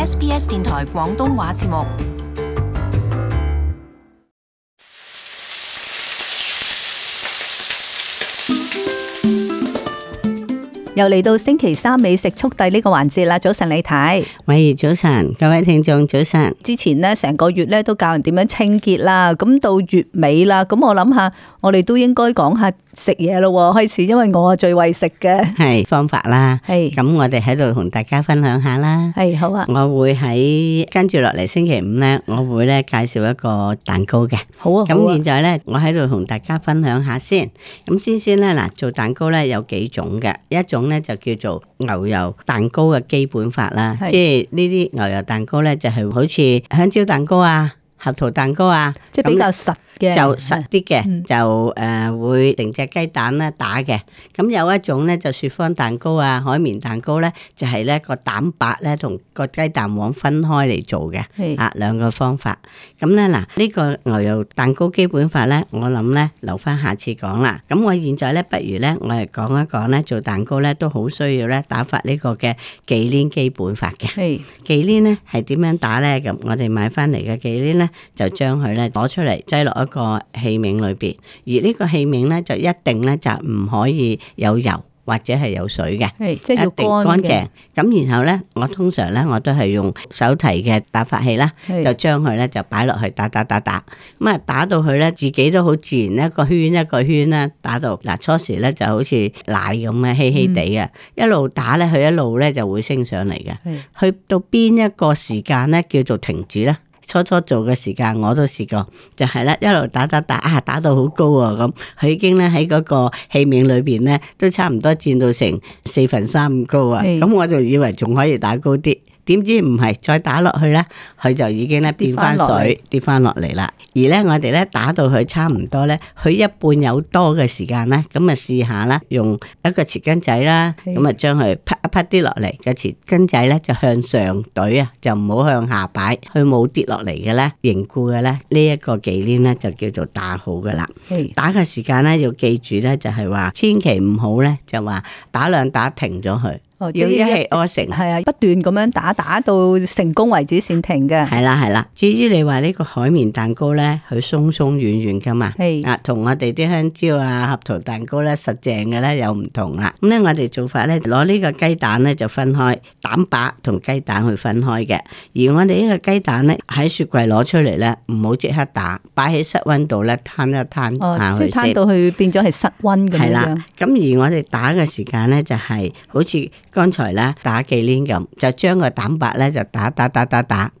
SBS 電台廣東話節目。又嚟到星期三美食速遞呢個環節啦！早晨李太，喂，早晨，各位聽眾早晨。之前呢成個月咧都教人點樣清潔啦，咁到月尾啦，咁我諗下，我哋都應該講下食嘢咯，開始，因為我係最為食嘅，係方法啦，係咁我哋喺度同大家分享下啦。係好啊，我會喺跟住落嚟星期五咧，我會咧介紹一個蛋糕嘅。好啊，咁現在咧，我喺度同大家分享下先。咁先咧嗱，做蛋糕咧有幾種嘅，一種咧就叫做牛油蛋糕嘅基本法啦，即係呢啲牛油蛋糕咧就係好似香蕉蛋糕啊、合桃蛋糕啊，即係比較實嘅，就實啲嘅，就會成隻雞蛋咧打嘅。咁有一種咧就雪芳蛋糕啊、海綿蛋糕咧，就係咧個蛋白咧同個雞蛋黃分開嚟做嘅，兩個方法。咁咧嗱，呢個牛油蛋糕基本法咧，我諗咧留翻下次講啦。咁我現在咧，不如咧我哋講一講咧，做蛋糕咧都好需要咧打發呢個嘅忌廉基本法嘅。忌廉咧係點樣打咧？咁我哋買翻嚟嘅忌廉咧，就將佢咧攞出嚟擠落一個器皿裏邊，而呢個器皿咧就一定咧就唔可以有油或者係有水嘅，即係要一定乾淨。咁然後咧，我通常咧我都係用手提嘅打發器啦，就將佢咧就擺落去打。咁啊打到佢咧自己都好自然一個圈一個圈啦，打到嗱初時咧就好似奶咁嘅稀稀地嘅，一路打咧佢一路咧就會升上嚟嘅。去到邊一個時間咧叫做停止咧？初做嘅時間我都試過，就係咧一路打打到好高啊咁，佢已經咧喺嗰個器皿裏邊咧都差唔多佔到成3/4咁高啊，咁我就以為仲可以打高啲。點知唔係，再打落去咧，佢就已經咧變翻水，跌翻落嚟啦。而咧我哋咧打到佢差唔多咧，佢一半有多嘅時間咧，咁啊試下啦，用一個匙羹仔啦，咁啊將佢啪一啪啲落嚟，個匙羹仔咧就向上懟啊，就唔好向下擺，佢冇跌落嚟嘅咧，凝固嘅咧，呢一個忌廉咧就叫做打好噶啦。打嘅時間咧要記住咧，就係話千祈唔好咧就話打兩打停咗佢。要一氣呵成，係啊，不斷咁樣打到成功為止先停嘅。係啦。至於你話呢個海綿蛋糕咧，佢鬆鬆軟軟噶嘛，同我哋啲香蕉啊、合桃蛋糕咧實淨嘅咧有唔同啦。咁咧我哋做法咧，攞呢個雞蛋咧就分開，蛋白同雞蛋去分開嘅。而我哋呢個雞蛋咧喺雪櫃攞出嚟咧，唔好即刻打，擺喺室溫度咧攤一攤下去先。即係攤到去變咗係室溫咁樣。係啦，咁而我哋打嘅時間咧就係好似剛才咧打忌廉咁，就將個蛋白咧就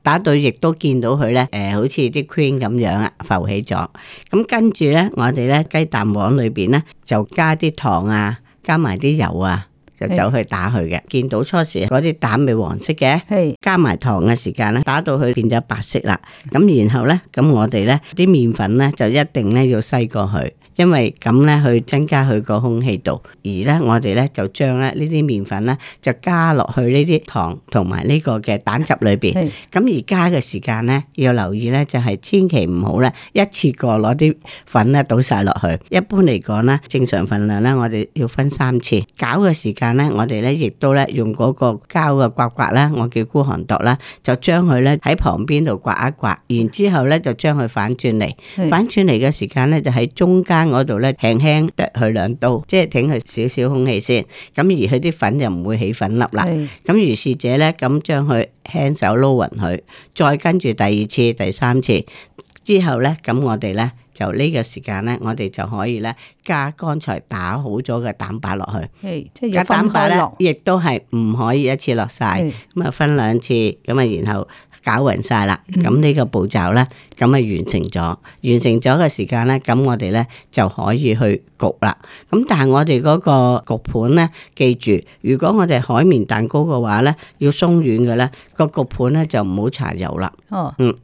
打到亦都見到佢咧，好似啲 cream 咁樣啊，浮起咗。咁跟住咧，我哋咧雞蛋黃裏邊咧就加啲糖啊，加埋啲油啊，就走去打佢嘅。見到初時嗰啲蛋咪黃色嘅，加埋糖嘅時間咧，打到佢變咗白色啦。咁然後咧，咁我哋咧啲麵粉咧就一定咧要篩過去。因為咁咧，去增加佢個空氣度，而咧我哋咧就將咧呢啲麵粉咧就加落去呢啲糖同埋呢個嘅蛋汁裏邊。咁而加嘅時間咧要留意咧，就係千祈唔好咧一次過攞啲粉咧倒晒落去。一般嚟講咧，正常份量咧我哋要分3次。攪嘅時間咧，我哋咧亦都咧用嗰個膠嘅刮刮啦，我叫孤寒度啦，就將佢咧喺旁邊度刮一刮，然之後咧就將佢反轉嚟。反轉嚟嘅時間咧就喺中間嗰度咧輕輕剁佢2刀，即係挺佢少少空氣先，咁而佢啲粉就唔會起粉粒啦。咁如是者咧，咁將佢輕手撈勻佢，再跟住第2次、第3次之後咧，咁我哋咧就呢個時間咧，我哋就可以咧加剛才打好咗嘅蛋白落去。即係要分開落，亦都係唔可以一次落晒，咁啊分2次，咁啊然後攪勻晒啦，咁呢個步驟咧，咁啊完成咗，完成咗嘅時間咧，咁我哋咧就可以去焗啦。咁但係我哋嗰個焗盤咧，記住，如果我哋海綿蛋糕嘅話咧，要鬆軟嘅咧，個焗盤咧就唔好搽油啦。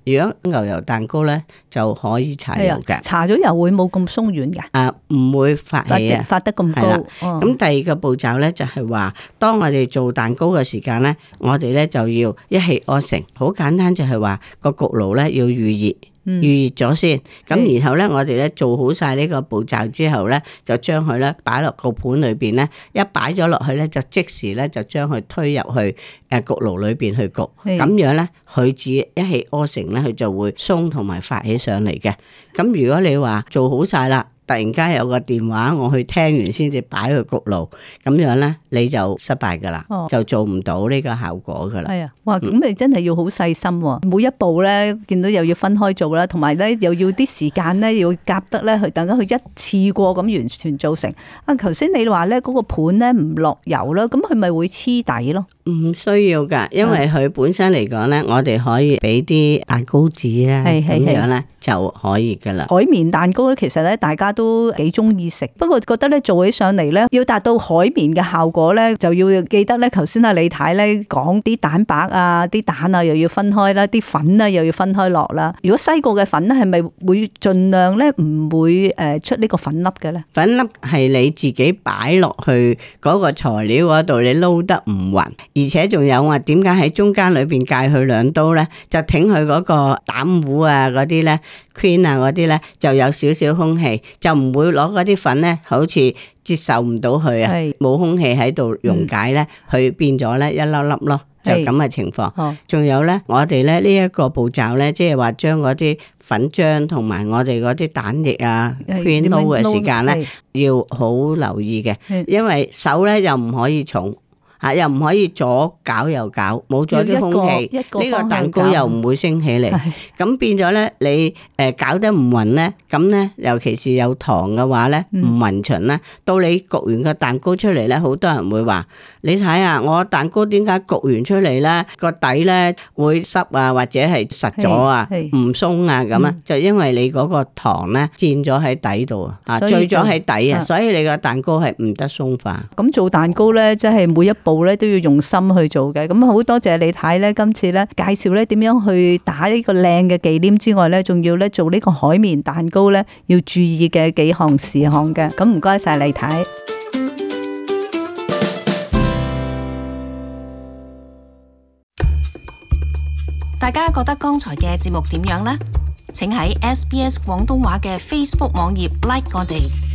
如果牛油蛋糕咧就可以搽油嘅。搽咗油會冇咁鬆軟嘅。唔會發起啊，發得咁高。咁第2個步驟咧就係話，當我哋做蛋糕嘅時間咧，我哋咧就要一氣呵成，好簡單就係話個焗爐咧要預熱。預熱咗先。咁然後咧，我哋咧做好晒呢個步驟之後咧，就將佢咧擺落個盤裏邊咧，一擺咗落去咧，就即時咧就將佢推入去焗爐裏邊去焗。咁樣咧，佢至一氣呵成咧，佢就會鬆同埋發起上嚟嘅。咁如果你話做好晒啦，突然間有個電話，我去聽完先至擺去焗爐，咁樣咧你就失敗噶啦，就做唔到呢個效果噶啦。係啊，哇！咁你真係要好細心喎，每一步咧見到又要分開做啦，同埋咧又要啲時間咧要夾得咧，去等緊佢一次過咁完全做成。啊，頭先你話咧嗰個盤咧唔落油啦，咁佢咪會黐底咯？唔需要噶，因為佢本身嚟講咧，我哋可以俾啲蛋糕紙啦，咁樣咧就可以噶啦。海綿蛋糕咧，其實咧大家都幾中意食，不過覺得咧做起上嚟咧，要達到海綿嘅效果咧，就要記得咧，頭先阿李太咧講啲蛋白啊、啲蛋啊又要分開啦，啲粉啊又要分開落啦。如果西過嘅粉咧，係咪會盡量咧唔會出呢個粉粒嘅咧？粉粒係你自己擺落去嗰個材料嗰度，你撈得唔勻。而且仲有話點解喺中間裏邊界佢兩刀咧？就挺佢嗰個膽糊啊嗰啲咧 cream 啊嗰啲咧，就有少少空氣，就唔會攞嗰啲粉咧，好似接受唔到佢啊，冇空氣喺度溶解咧，佢變咗咧一粒粒咯。就咁嘅情況，仲有咧，我哋咧呢一個步驟咧，即係話將嗰啲粉漿同埋我哋嗰啲蛋液啊圈撈嘅時間咧，要好留意嘅，因為手咧又唔可以重。又唔可以左攪右攪，冇咗啲空氣，呢個蛋糕又唔會升起嚟。咁變咗咧，你攪得唔勻咧，咁咧尤其是有糖嘅話咧，唔勻勻咧，到你焗完個蛋糕出嚟咧，好多人會話：你睇下我蛋糕點解焗完出嚟咧個底咧會濕啊，或者係實咗啊，唔鬆啊咁啊？就因為你嗰個糖咧佔咗喺底度啊，聚咗喺底啊，所以你個蛋糕係唔得鬆化。咁做蛋糕咧，即係每一步咧都要用心去做嘅，咁好多謝李太咧，今次咧介紹咧點樣去打呢個靚嘅忌廉之外咧，仲要咧做呢個海綿蛋糕咧要注意嘅幾項事項嘅，咁唔該晒李太。大家覺得剛才嘅節目點樣呢？請喺SBS 廣東話嘅 Facebook 網頁 like 我哋。